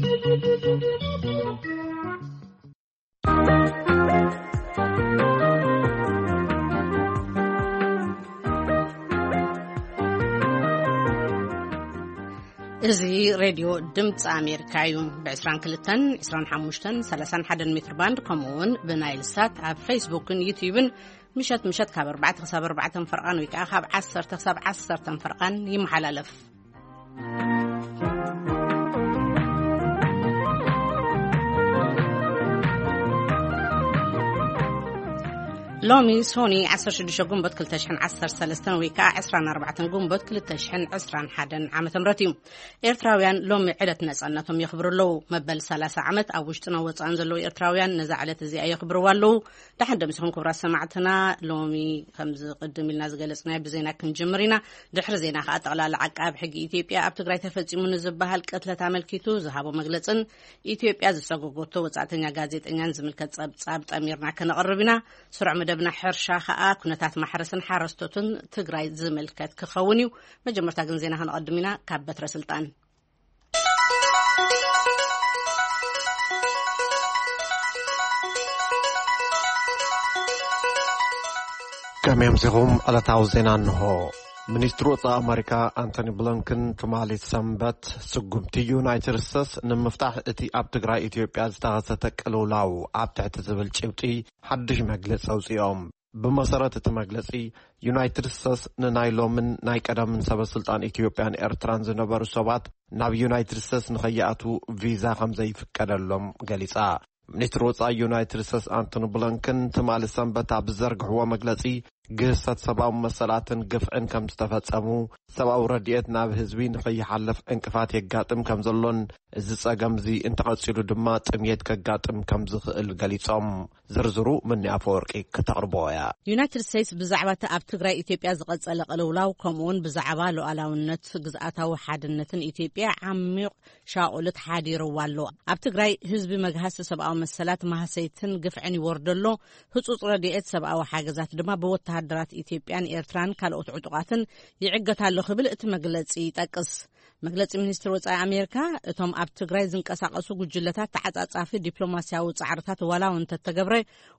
እዚ ሬድዮ ድምፂ ኣሜሪካ እዩ። ብ22፣ 25፣ 31 ሜትር ባንድ፣ ከምኡ እውን ብናይል ሳት ኣብ ፌስቡክን ዩትዩብን ምሸት ምሸት ካብ ኣርባዕተ ክሳብ ኣርባዕተ ፈርቓን ወይ ከዓ ካብ ዓሰርተ ክሳብ ዓሰርተ ፈርቓን ይመሓላለፍ። ሎሚ ሶኒ ዓሰርተ ሽዱሽተ ጉንበት ክልተ ሽሕን ዓሰርተ ሰለስተን ወይ ከዓ ዕስራን ኣርባዕተን ጉንበት ክልተ ሽሕን ዕስራን ሓደን ዓመተ ምህረት እዩ። ኤርትራውያን ሎሚ ዕለት ነጻነቶም የኽብሩ ኣለዉ። መበል ሰላሳ ዓመት ኣብ ውሽጥን ኣብ ወጻእን ዘለዉ ኤርትራውያን ነዛ ዕለት እዚኣ የኽብርዋ ኣለዉ። ደሓን ደምሲኹም ክቡራት ሰማዕትና። ሎሚ ከምዚ ቅድም ኢልና ዝገለጽናዮ ብዜና ክንጅምር ኢና። ድሕሪ ዜና ከኣ ጠቕላላ ዓቃቢ ሕጊ ኢትዮጵያ ኣብ ትግራይ ተፈጺሙ ንዝበሃል ቅትለት ኣመልኪቱ ዝሃቦ መግለጽን ኢትዮጵያ ዝሰጎጎቶ ወጻእተኛ ጋዜጠኛን ዝምልከት ጸብጻብ ጠሚርና ከነቕርብ ኢና። ስሩዕ መደብና ሕርሻ ከኣ ኩነታት ማሕረስን ሓረስቶትን ትግራይ ዝምልከት ክኸውን እዩ። መጀመርታ ግን ዜና ከነቐድም ኢና። ካብ በትረ ስልጣን ከመይ ኣምሲኹም? ዕለታዊ ዜና እንሆ። ሚኒስትሪ ወጻኢ ኣመሪካ ኣንቶኒ ብሊንከን ትማሊ ሰንበት ስጉምቲ ዩናይትድ ስቴትስ ንምፍታሕ እቲ ኣብ ትግራይ ኢትዮጵያ ዝተኸሰተ ቅልውላው ኣብ ትሕቲ ዝብል ጭብጢ ሓድሽ መግለጺ ኣውጺኦም። ብመሰረት እቲ መግለጺ፣ ዩናይትድ ስቴትስ ንናይ ሎምን ናይ ቀደምን ሰበ ስልጣን ኢትዮጵያን ኤርትራን ዝነበሩ ሰባት ናብ ዩናይትድ ስቴትስ ንኸይኣትዉ ቪዛ ከም ዘይፍቀደሎም ገሊጻ። ሚኒስትሪ ወጻኢ ዩናይትድ ስቴትስ ኣንቶኒ ብሊንከን ትማሊ ሰንበት ኣብ ዝዘርግሕዎ መግለጺ፣ ግህሰት ሰብኣዊ መሰላትን ግፍዕን ከም ዝተፈጸሙ፣ ሰብኣዊ ረድኤት ናብ ህዝቢ ንኸይሓልፍ ዕንቅፋት የጋጥም ከም ዘሎን፣ እዚ ጸገም እዚ እንተቐጺሉ ድማ ጥምየት ከጋጥም ከም ዝኽእል ገሊጾም። ዝርዝሩ ምኒ ኣፈወርቂ ክተቕርቦ እያ። ዩናይትድ ስቴትስ ብዛዕባ እቲ ኣብ ትግራይ ኢትዮጵያ ዝቐጸለ ቅልውላው፣ ከምኡውን ብዛዕባ ሉዓላውነት ግዝኣታዊ ሓድነትን ኢትዮጵያ ዓሚቕ ሻቑልት ሓዲርዋ ኣሎ። ኣብ ትግራይ ህዝቢ መግሃሲ ሰብኣዊ መሰላት፣ ማህሰይትን ግፍዕን ይወርዶ ኣሎ። ህጹጽ ረድኤት ሰብኣዊ ሓገዛት ድማ ብወተሃደራት ኢትዮጵያን ኤርትራን ካልኦት ዕጡቓትን ይዕገት ኣሎ ክብል እቲ መግለጺ ይጠቅስ። መግለጺ ሚኒስትሪ ወጻኢ ኣሜሪካ፣ እቶም ኣብ ትግራይ ዝንቀሳቐሱ ጉጅለታት ተዓጻጻፊ ዲፕሎማስያዊ ጻዕርታት ዋላ እውን እንተተገብረ፣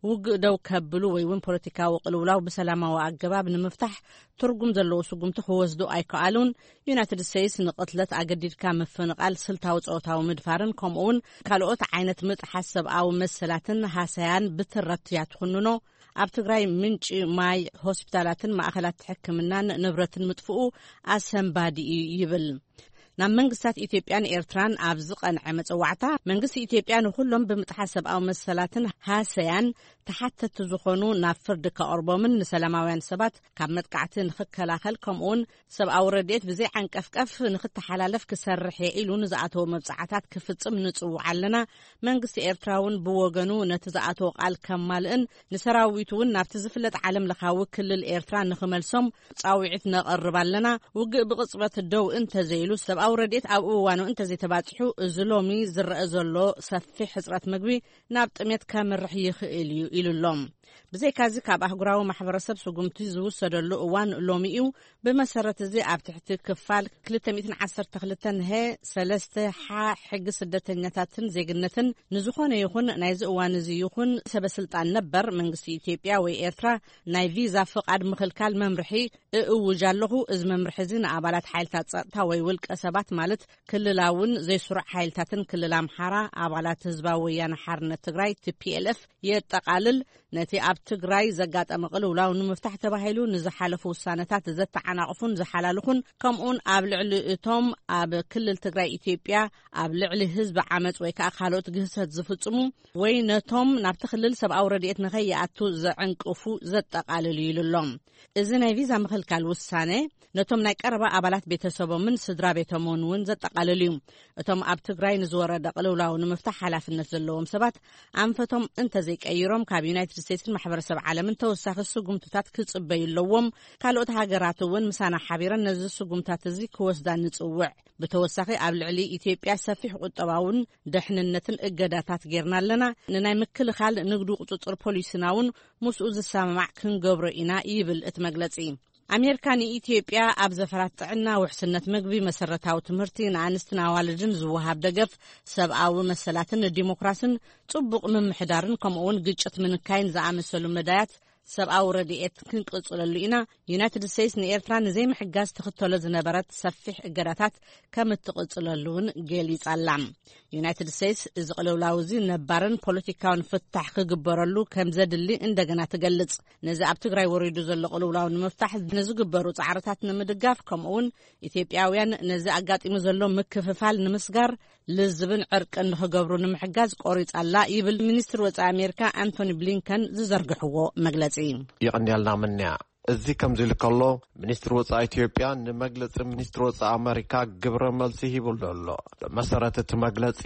ውግእ ደው ከብሉ ወይ እውን ፖለቲካዊ ቅልውላው ብሰላማዊ ኣገባብ ንምፍታሕ ትርጉም ዘለዎ ስጉምቲ ክወስዱ ኣይከኣሉን። ዩናይትድ ስቴትስ ንቕትለት፣ ኣገዲድካ ምፍንቓል፣ ስልታዊ ጾታዊ ምድፋርን ከምኡ እውን ካልኦት ዓይነት ምጥሓስ ሰብኣዊ መሰላትን ሃሰያን ብትረት እያ ትኹንኖ። ኣብ ትግራይ ምንጪ ማይ፣ ሆስፒታላትን ማእኸላት ሕክምናን ንብረትን ምጥፍኡ ኣሰንባዲ እዩ ይብል። ናብ መንግስታት ኢትዮጵያን ኤርትራን ኣብ ዝቐንዐ መጸዋዕታ፣ መንግስቲ ኢትዮጵያ ንኹሎም ብምጥሓስ ሰብኣዊ መሰላትን ሃሰያን ተሓተቲ ዝኾኑ ናብ ፍርዲ ከቕርቦምን ንሰላማውያን ሰባት ካብ መጥቃዕቲ ንኽከላኸል፣ ከምኡውን ሰብኣዊ ረድኤት ብዘይ ዓንቀፍቀፍ ንኽተሓላለፍ ክሰርሕ እየ ኢሉ ንዝኣተዎ መብጻዕታት ክፍጽም ንጽውዕ ኣለና። መንግስቲ ኤርትራ እውን ብወገኑ ነቲ ዝኣተዎ ቃል ከማልእን ንሰራዊቱ እውን ናብቲ ዝፍለጥ ዓለም ለኻዊ ክልል ኤርትራ ንኽመልሶም ጻውዒት ነቕርብ ኣለና። ውግእ ብቕጽበት ደው እንተዘይሉ፣ ሰብኣዊ ረድኤት ኣብ እዋኑ እንተዘይተባጺሑ፣ እዚ ሎሚ ዝረአ ዘሎ ሰፊሕ ሕጽረት ምግቢ ናብ ጥሜት ከምርሕ ይኽእል እዩ ኢሉ ኣሎ። ብዘይካዚ፣ ካብ ኣህጉራዊ ማሕበረሰብ ስጉምቲ ዝውሰደሉ እዋን ሎሚ እዩ። ብመሰረት እዚ፣ ኣብ ትሕቲ ክፋል ክልተ ሚእትን ዓሰርተ ክልተን ሀ ሰለስተ ሓ ሕጊ ስደተኛታትን ዜግነትን፣ ንዝኾነ ይኹን ናይዚ እዋን እዚ ይኹን ሰበ ስልጣን ነበር መንግስቲ ኢትዮጵያ ወይ ኤርትራ ናይ ቪዛ ፍቓድ ምኽልካል መምርሒ እእውጅ ኣለኹ። እዚ መምርሒ እዚ ንኣባላት ሓይልታት ጸጥታ ወይ ውልቀ ሰባት፣ ማለት ክልላውን ዘይስሩዕ ሓይልታትን ክልል ኣምሓራ፣ ኣባላት ህዝባዊ ወያነ ሓርነት ትግራይ፣ ቲ ፒ ኤል ኤፍ፣ የጠቓልል። ነቲ ኣብ ትግራይ ዘጋጠመ ቅልውላው ንምፍታሕ ተባሂሉ ንዝሓለፉ ውሳነታት ዘተዓናቕፉን ዝሓላልኹን፣ ከምኡውን ኣብ ልዕሊ እቶም ኣብ ክልል ትግራይ ኢትዮጵያ ኣብ ልዕሊ ህዝቢ ዓመፅ ወይ ከዓ ካልኦት ግህሰት ዝፍጽሙ ወይ ነቶም ናብቲ ክልል ሰብኣዊ ረድኤት ንኸይኣቱ ዘዕንቅፉ ዘጠቓልል እዩ ኢሉ ኣሎ። እዚ ናይ ቪዛ ምኽልካል ውሳነ ነቶም ናይ ቀረባ ኣባላት ቤተሰቦምን ስድራ ቤቶምን እውን ዘጠቓልል እዩ። እቶም ኣብ ትግራይ ንዝወረደ ቅልውላው ንምፍታሕ ሓላፍነት ዘለዎም ሰባት ኣንፈቶም እንተዘይቀይሮም፣ ካብ ዩናይትድ ስቴትስን ማሕበረሰብ ዓለምን ተወሳኺ ስጉምትታት ክጽበዩ ኣለዎም። ካልኦት ሃገራት እውን ምሳና ሓቢረን ነዚ ስጉምታት እዚ ክወስዳ ንጽውዕ። ብተወሳኺ፣ ኣብ ልዕሊ ኢትዮጵያ ሰፊሕ ቁጠባውን ደሕንነትን እገዳታት ጌርና ኣለና። ንናይ ምክልኻል ንግዱ ቁጽጽር ፖሊሲና እውን ምስኡ ዝሰማማዕ ክንገብሮ ኢና ይብል እቲ መግለጺ። ኣሜሪካ ንኢትዮጵያ ኣብ ዘፈራት ጥዕና፣ ውሕስነት ምግቢ፣ መሰረታዊ ትምህርቲ፣ ንኣንስትን ኣዋልድን ዝወሃብ ደገፍ፣ ሰብኣዊ መሰላትን ንዲሞክራስን ጽቡቕ ምምሕዳርን ከምኡ'ውን ግጭት ምንካይን ዝኣመሰሉ መዳያት ሰብኣዊ ረድኤት ክንቅጽለሉ ኢና። ዩናይትድ ስቴትስ ንኤርትራ ንዘይምሕጋዝ ትኽተሎ ዝነበረት ሰፊሕ እገዳታት ከም እትቕጽለሉ እውን ገሊጻ ኣላ። ዩናይትድ ስቴትስ እዚ ቅልውላው እዚ ነባርን ፖለቲካውን ፍታሕ ክግበረሉ ከም ዘድሊ እንደገና ትገልጽ። ነዚ ኣብ ትግራይ ወሪዱ ዘሎ ቅልውላው ንምፍታሕ ንዝግበሩ ጻዕርታት ንምድጋፍ፣ ከምኡ'ውን ኢትዮጵያውያን ነዚ ኣጋጢሙ ዘሎ ምክፍፋል ንምስጋር ልዝብን ዕርቅን ንኽገብሩ ንምሕጋዝ ቆሪጻ ኣላ ይብል ሚኒስትር ወጻኢ ኣሜሪካ ኣንቶኒ ብሊንከን ዝዘርግሕዎ መግለጺ። ይቕንየልና ምንያ። እዚ ከምዚ ኢሉ ከሎ፣ ሚኒስትሪ ወጻኢ ኢትዮጵያ ንመግለጺ ሚኒስትሪ ወጻኢ ኣመሪካ ግብረ መልሲ ሂቡሉ ኣሎ። ብመሰረት እቲ መግለጺ፣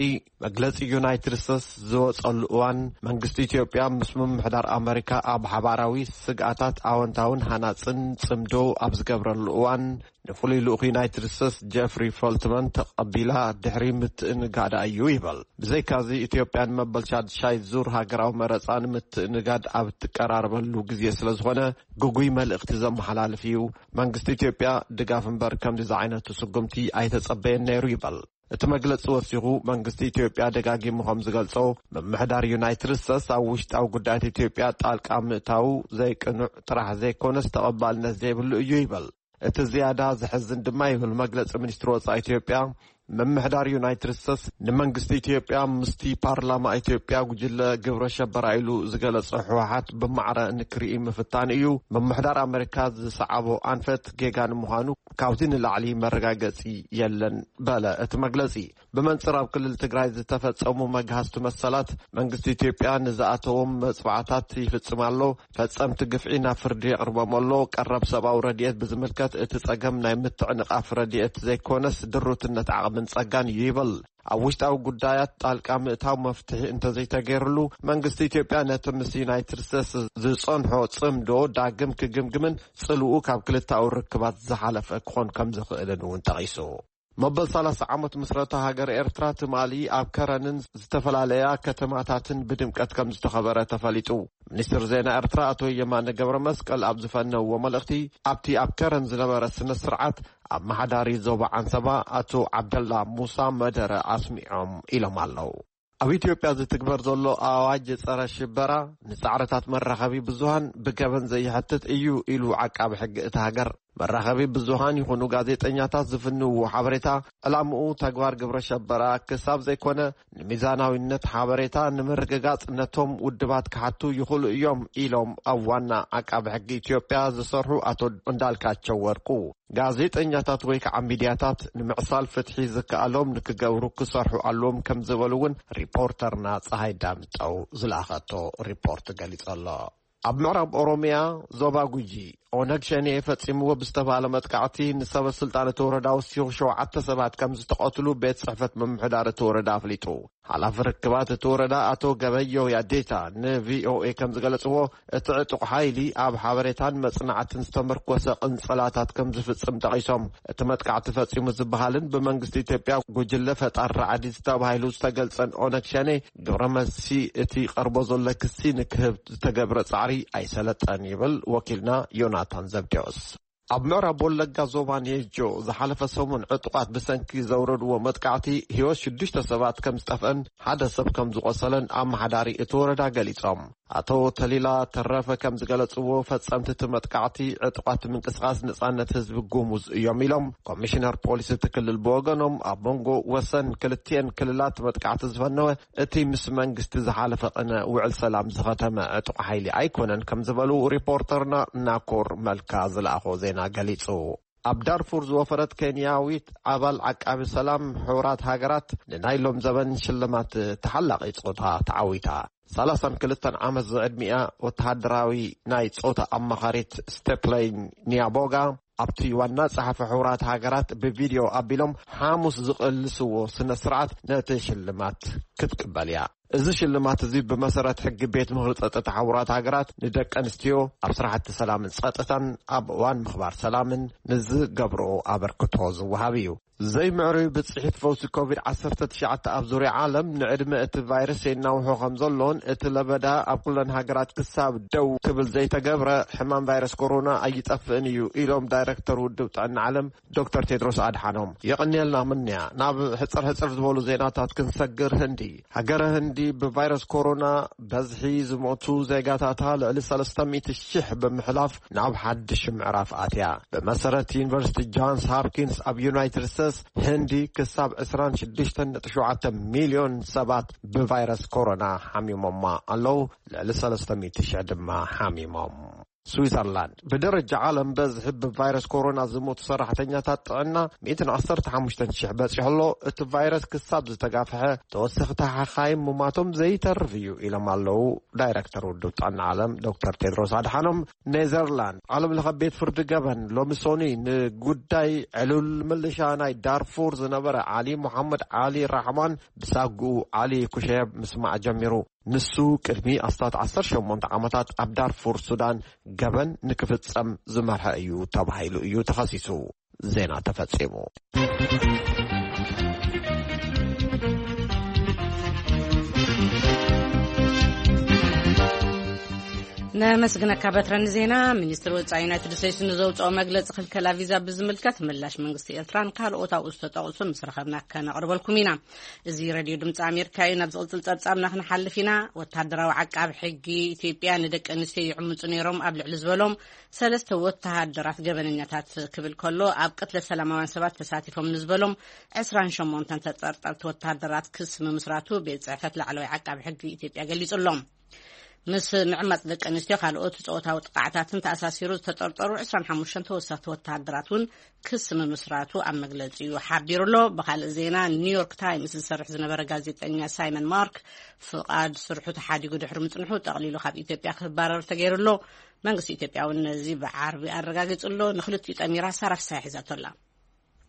መግለጺ ዩናይትድ ስቴትስ ዝወጸሉ እዋን፣ መንግስቲ ኢትዮጵያ ምስ ምምሕዳር ኣመሪካ ኣብ ሓባራዊ ስግኣታት ኣወንታውን ሃናጽን ጽምዶ ኣብ ዝገብረሉ እዋን፣ ንፍሉይ ልኡኽ ዩናይትድ ስቴትስ ጀፍሪ ፈልትመን ተቐቢላ ድሕሪ ምትእንጋዳ እዩ ይበል። ብዘይካዚ፣ ኢትዮጵያ ንመበል ሻድሻይ ዙር ሃገራዊ መረጻ ንምትእንጋድ ኣብ እትቀራረበሉ ግዜ ስለ ዝኾነ፣ ግጉይ መልእኽቲ ዘመሓላልፍ እዩ። መንግስቲ ኢትዮጵያ ድጋፍ እምበር ከምዚ ዝዓይነቱ ስጉምቲ ኣይተጸበየን ነይሩ ይበል። እቲ መግለጺ ወሲኹ፣ መንግስቲ ኢትዮጵያ ደጋጊሙ ከም ዝገልጾ፣ ምምሕዳር ዩናይትድ ስቴትስ ኣብ ውሽጣዊ ጉዳያት ኢትዮጵያ ጣልቃ ምእታው ዘይቅኑዕ ጥራሕ ዘይኮነስ ተቐባልነት ዘይብሉ እዩ ይበል። እቲ ዝያዳ ዘሕዝን ድማ ይብል መግለጺ ሚኒስትሪ ወጻኢ ኢትዮጵያ፣ ምምሕዳር ዩናይትድ ስቴትስ ንመንግስቲ ኢትዮጵያ ምስቲ ፓርላማ ኢትዮጵያ ጉጅለ ግብረ ሸበራ ኢሉ ዝገለጸ ህወሓት ብማዕረ ንክርኢ ምፍታን እዩ። ምምሕዳር ኣመሪካ ዝሰዓቦ ኣንፈት ጌጋ ንምዃኑ ካብዚ ንላዕሊ መረጋገጺ የለን በለ እቲ መግለጺ። ብመንጽር ኣብ ክልል ትግራይ ዝተፈጸሙ መግሃስቲ መሰላት መንግስቲ ኢትዮጵያ ንዝኣተዎም መጽዋዕታት ይፍጽም ኣሎ። ፈጸምቲ ግፍዒ ናብ ፍርዲ የቕርቦም ኣሎ። ቀረብ ሰብኣዊ ረድኤት ብዝምልከት እቲ ጸገም ናይ ምትዕንቓፍ ረድኤት ዘይኮነስ ድሩትነት ዓቕምን ጸጋን እዩ ይብል። ኣብ ውሽጣዊ ጉዳያት ጣልቃ ምእታው መፍትሒ እንተዘይተገይርሉ መንግስቲ ኢትዮጵያ ነቲ ምስ ዩናይትድ ስቴትስ ዝጸንሖ ጽምዶ ዳግም ክግምግምን ጽልኡ ካብ ክልታዊ ርክባት ዝሓለፈ ክኾን ከም ዝኽእልን እውን ጠቒሱ። መበል ሰላሳ ዓመት ምስረታ ሃገር ኤርትራ ትማሊ ኣብ ከረንን ዝተፈላለያ ከተማታትን ብድምቀት ከም ዝተኸበረ ተፈሊጡ። ሚኒስትር ዜና ኤርትራ ኣቶ የማነ ገብረ መስቀል ኣብ ዝፈነውዎ መልእኽቲ፣ ኣብቲ ኣብ ከረን ዝነበረ ስነ ስርዓት ኣመሓዳሪ ዞባ ዓንሰባ ኣቶ ዓብደላ ሙሳ መደረ ኣስሚዖም ኢሎም ኣለዉ። ኣብ ኢትዮጵያ ዝትግበር ዘሎ ኣዋጅ ጸረ ሽበራ ንጻዕርታት መራኸቢ ብዙሃን ብገበን ዘይሕትት እዩ ኢሉ ዓቃቢ ሕጊ እታ ሃገር። መራኸቢ ብዙሃን ይኹኑ ጋዜጠኛታት ዝፍንውዎ ሓበሬታ፣ ዕላምኡ ተግባር ግብረ ሸበራ ክሳብ ዘይኮነ፣ ንሚዛናዊነት ሓበሬታ ንምርግጋጽ ነቶም ውድባት ክሓቱ ይኽእሉ እዮም ኢሎም ኣብ ዋና ዓቃቢ ሕጊ ኢትዮጵያ ዝሰርሑ ኣቶ እንዳልካቸው ወርቁ። ጋዜጠኛታት ወይ ከዓ ሚድያታት ንምዕሳል ፍትሒ ዝከኣሎም ንክገብሩ ክሰርሑ ኣለዎም ከም ዝበሉ እውን ሪፖርተርና ፀሃይ ዳምጠው ዝለኣኸቶ ሪፖርት ገሊጹ ኣሎ። ኣብ ምዕራብ ኦሮሚያ ዞባ ጉጂ ኦነግ ሸኔ ፈጺምዎ ብዝተባለ መጥቃዕቲ ንሰበ ስልጣን እቲ ወረዳ ወሲኹ ሸውዓተ ሰባት ከም ዝተቐትሉ ቤት ጽሕፈት ምምሕዳር እቲ ወረዳ ኣፍሊጡ። ሓላፊ ርክባት እቲ ወረዳ ኣቶ ገበዮ ያዴታ ንቪኦኤ ከም ዝገለጽዎ፣ እቲ ዕጡቕ ሓይሊ ኣብ ሓበሬታን መጽናዕትን ዝተመርኮሰ ቅንጸላታት ከም ዝፍጽም ጠቒሶም፣ እቲ መጥቃዕቲ ፈጺሙ ዝበሃልን ብመንግስቲ ኢትዮጵያ ጉጅለ ፈጣር ራዕዲ ዝተባሂሉ ዝተገልጸን ኦነግ ሸኔ ግብረ መልሲ እቲ ቀርቦ ዘሎ ክሲ ንክህብ ዝተገብረ ጻዕሪ ኣይሰለጠን ይብል ወኪልና ዮናታን ዘብዴዎስ። ኣብ ምዕራብ ወለጋ ዞባ ኔጆ ዝሓለፈ ሰሙን ዕጡቓት ብሰንኪ ዘውረድዎ መጥቃዕቲ ህይወት ሽዱሽተ ሰባት ከም ዝጠፍአን ሓደ ሰብ ከም ዝቖሰለን ኣመሓዳሪ እቲ ወረዳ ገሊጾም። ኣቶ ተሊላ ተረፈ ከም ዝገለጽዎ፣ ፈጸምቲ እቲ መጥቃዕቲ ዕጡቓት ምንቅስቓስ ነጻነት ህዝቢ ጉሙዝ እዮም ኢሎም። ኮሚሽነር ፖሊስ እቲ ክልል ብወገኖም፣ ኣብ መንጎ ወሰን ክልቲኤን ክልላት መጥቃዕቲ ዝፈነወ እቲ ምስ መንግስቲ ዝሓለፈ ቅነ ውዕል ሰላም ዝኸተመ ዕጡቕ ሓይሊ ኣይኮነን ከም ዝበሉ ሪፖርተርና ናኮር መልካ ዝለኣኾ ዜና ገሊጹ። ኣብ ዳርፉር ዝወፈረት ኬንያዊት ኣባል ዓቃቢ ሰላም ሕቡራት ሃገራት ንናይ ሎም ዘበን ሽልማት ተሓላቒ ጾታ ተዓዊታ። ሰላሳን ክልተን ዓመት ዝዕድሚኣ ወተሃደራዊ ናይ ጾታ ኣማኻሪት ስቴፕለይ ኒያቦጋ ኣብቲ ዋና ጸሓፊ ሕቡራት ሃገራት ብቪድዮ ኣቢሎም ሓሙስ ዝቕልስዎ ስነ ስርዓት ነቲ ሽልማት ክትቅበል እያ። እዚ ሽልማት እዚ ብመሰረት ሕጊ ቤት ምኽሪ ጸጥታ ሕቡራት ሃገራት ንደቂ ኣንስትዮ ኣብ ስራሕቲ ሰላምን ጸጥታን ኣብ እዋን ምኽባር ሰላምን ንዝገብርኦ ኣበርክቶ ዝወሃብ እዩ። ዘይምዕሩይ ብጽሒት ፈውሲ ኮቪድ ዓሰርተ ትሽዓተ ኣብ ዙርያ ዓለም ንዕድመ እቲ ቫይረስ የናውሖ ከም ዘሎን፣ እቲ ለበዳ ኣብ ኩለን ሃገራት ክሳብ ደው ክብል ዘይተገብረ፣ ሕማም ቫይረስ ኮሮና ኣይጠፍእን እዩ ኢሎም ዳይሬክተር ውድብ ጥዕና ዓለም ዶክተር ቴድሮስ ኣድሓኖም። የቐንየልና ምንያ። ናብ ሕጽር ሕጽር ዝበሉ ዜናታት ክንሰግር፣ ህንዲ። ሃገረ ህንዲ ብቫይረስ ኮሮና በዝሒ ዝሞቱ ዜጋታታ ልዕሊ ሰለስተ ሚእቲ ሺሕ ብምሕላፍ ናብ ሓድሽ ምዕራፍ ኣትያ። ብመሰረት ዩኒቨርሲቲ ጆንስ ሆፕኪንስ ኣብ ዩናይትድ ስቴትስ፣ ህንዲ ክሳብ ዕስራን ሽዱሽተን ነጥቢ ሸውዓተ ሚልዮን ሰባት ብቫይረስ ኮሮና ሓሚሞማ ኣለዉ። ልዕሊ ሰለስተ ሚእቲ ሺሕ ድማ ሓሚሞም። ስዊዘርላንድ ብደረጃ ዓለም በዝሒ ብቫይረስ ኮሮና ዝሞቱ ሰራሕተኛታት ጥዕና ሚእትን ዓሰርተ ሓሙሽተን ሺሕ በጺሑ ኣሎ። እቲ ቫይረስ ክሳብ ዝተጋፍሐ፣ ተወሰኽቲ ሓኻይም ምማቶም ዘይተርፍ እዩ ኢሎም ኣለዉ ዳይረክተር ውድብ ጥዕና ዓለም ዶክተር ቴድሮስ ኣድሓኖም። ኔዘርላንድ፣ ዓለም ለኸ ቤት ፍርዲ ገበን ሎሚ ሶኒ ንጉዳይ ዕሉል ምልሻ ናይ ዳርፉር ዝነበረ ዓሊ ሙሓመድ ዓሊ ራሕማን ብሳጉኡ ዓሊ ኩሸየብ ምስማዕ ጀሚሩ። ንሱ ቅድሚ ኣስታት ዓሰርተ ሸሞንተ ዓመታት ኣብ ዳርፉር ሱዳን ገበን ንክፍጸም ዝመርሐ እዩ ተባሂሉ እዩ ተኸሲሱ። ዜና ተፈጺሙ። ነመስግነካ በትረ ንዜና። ሚኒስትሪ ወጻኢ ዩናይትድ ስቴትስ ንዘውፅኦ መግለፂ ክልከላ ቪዛ ብዝምልከት ምላሽ መንግስቲ ኤርትራን ካልኦት ኣብኡ ዝተጠቕሱ ምስ ረኸብና ከነቕርበልኩም ኢና። እዚ ሬድዮ ድምፂ ኣሜሪካ እዩ። ናብ ዝቕፅል ፀብፃብና ክንሓልፍ ኢና። ወታደራዊ ዓቃቢ ሕጊ ኢትዮጵያ ንደቂ ኣንስትዮ ይዕምፁ ነይሮም ኣብ ልዕሊ ዝበሎም ሰለስተ ወተሃደራት ገበነኛታት ክብል ከሎ፣ ኣብ ቅትለት ሰላማውያን ሰባት ተሳቲፎም ንዝበሎም ዕስራን ሸሞንተን ተጠርጠርቲ ወተሃደራት ክስ ምምስራቱ ቤት ጽሕፈት ላዕለዋይ ዓቃቢ ሕጊ ኢትዮጵያ ገሊጹ ኣሎ። ምስ ምዕማጽ ደቂ ኣንስትዮ ካልኦት ጾታዊ ጥቃዕታትን ተኣሳሲሩ ዝተጠርጠሩ ዕስራን ሓሙሽተን ተወሰኽቲ ወተሃደራት እውን ክስ ምምስራቱ ኣብ መግለጺኡ ሓቢሩ ኣሎ። ብኻልእ ዜና፣ ኒውዮርክ ታይምስ ዝሰርሕ ዝነበረ ጋዜጠኛ ሳይመን ማርክ ፍቓድ ስርሑ ተሓዲጉ ድሕሪ ምጽንሑ፣ ጠቕሊሉ ካብ ኢትዮጵያ ክባረር ተገይሩ ኣሎ። መንግስቲ ኢትዮጵያ እውን ነዚ ብዓርቢ ኣረጋጊጹ ኣሎ። ንክልቲኡ ጠሚራ ሳራ ፍስሃ ሒዛቶ ኣላ።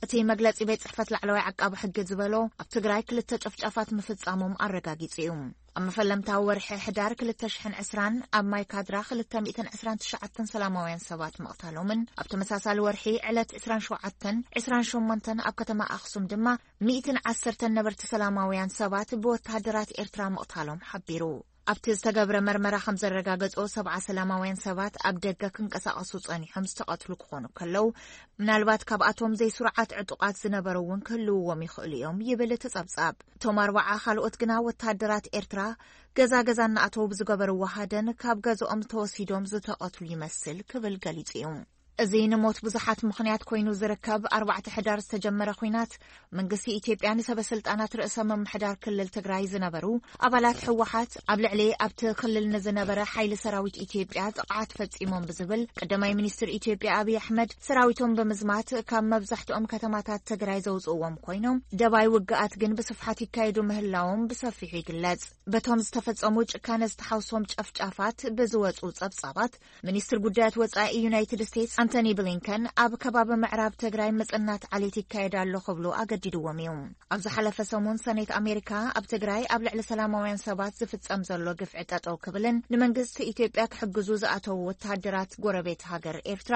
እቲ መግለጺ ቤት ጽሕፈት ላዕለዋይ ዓቃቢ ሕጊ ዝበሎ፣ ኣብ ትግራይ ክልተ ጨፍጫፋት ምፍጻሞም ኣረጋጊጹ እዩ። ኣብ መፈለምታዊ ወርሒ ሕዳር ክልተ ሽሕን ዕስራን ኣብ ማይ ካድራ ክልተ ሚእትን ዕስራን ትሽዓተን ሰላማውያን ሰባት ምቕታሎምን፣ ኣብ ተመሳሳሊ ወርሒ ዕለት ዕስራን ሸውዓተን፣ ዕስራን ሸሞንተን ኣብ ከተማ ኣኽሱም ድማ ሚእትን ዓሰርተን ነበርቲ ሰላማውያን ሰባት ብወተሃደራት ኤርትራ ምቕታሎም ሓቢሩ። ኣብቲ ዝተገብረ መርመራ ከም ዘረጋገጾ፣ ሰብዓ ሰላማውያን ሰባት ኣብ ደገ ክንቀሳቐሱ ጸኒሖም ዝተቐትሉ ክኾኑ ከለዉ፣ ምናልባት ካብኣቶም ዘይስሩዓት ዕጡቓት ዝነበሩ እውን ክህልውዎም ይኽእሉ እዮም ይብል እቲ ጸብጻብ። እቶም ኣርባዓ ካልኦት ግና ወተሃደራት ኤርትራ ገዛ ገዛ እናኣተዉ ብዝገበርዎ ሃደን ካብ ገዝኦም ተወሲዶም ዝተቐትሉ ይመስል ክብል ገሊጹ እዩ። እዚ ንሞት ብዙሓት ምኽንያት ኮይኑ ዝርከብ ኣርባዕተ ሕዳር ዝተጀመረ ኲናት፣ መንግስቲ ኢትዮጵያ ንሰበ ስልጣናት ርእሰ ምምሕዳር ክልል ትግራይ ዝነበሩ ኣባላት ህወሓት ኣብ ልዕሊ ኣብቲ ክልል ንዝነበረ ሓይሊ ሰራዊት ኢትዮጵያ ጥቕዓት ፈጺሞም ብዝብል፣ ቀዳማይ ሚኒስትር ኢትዮጵያ ኣብይ ኣሕመድ ሰራዊቶም ብምዝማት ካብ መብዛሕትኦም ከተማታት ትግራይ ዘውፅእዎም ኮይኖም፣ ደባይ ውግኣት ግን ብስፍሓት ይካየዱ ምህላዎም ብሰፊሑ ይግለጽ። በቶም ዝተፈጸሙ ጭካነ ዝተሓውሶም ጨፍጫፋት ብዝወፁ ጸብጻባት፣ ሚኒስትር ጉዳያት ወጻኢ ዩናይትድ ስቴትስ ኣንቶኒ ብሊንከን ኣብ ከባቢ ምዕራብ ትግራይ ምጽናት ዓሌት ይካየድ ኣሎ ክብሉ ኣገዲድዎም እዩ። ኣብ ዝሓለፈ ሰሙን ሰኔት ኣሜሪካ ኣብ ትግራይ ኣብ ልዕሊ ሰላማውያን ሰባት ዝፍጸም ዘሎ ግፍዒ ጠጠው ክብልን ንመንግስቲ ኢትዮጵያ ክሕግዙ ዝኣተዉ ወተሃደራት ጎረቤት ሃገር ኤርትራ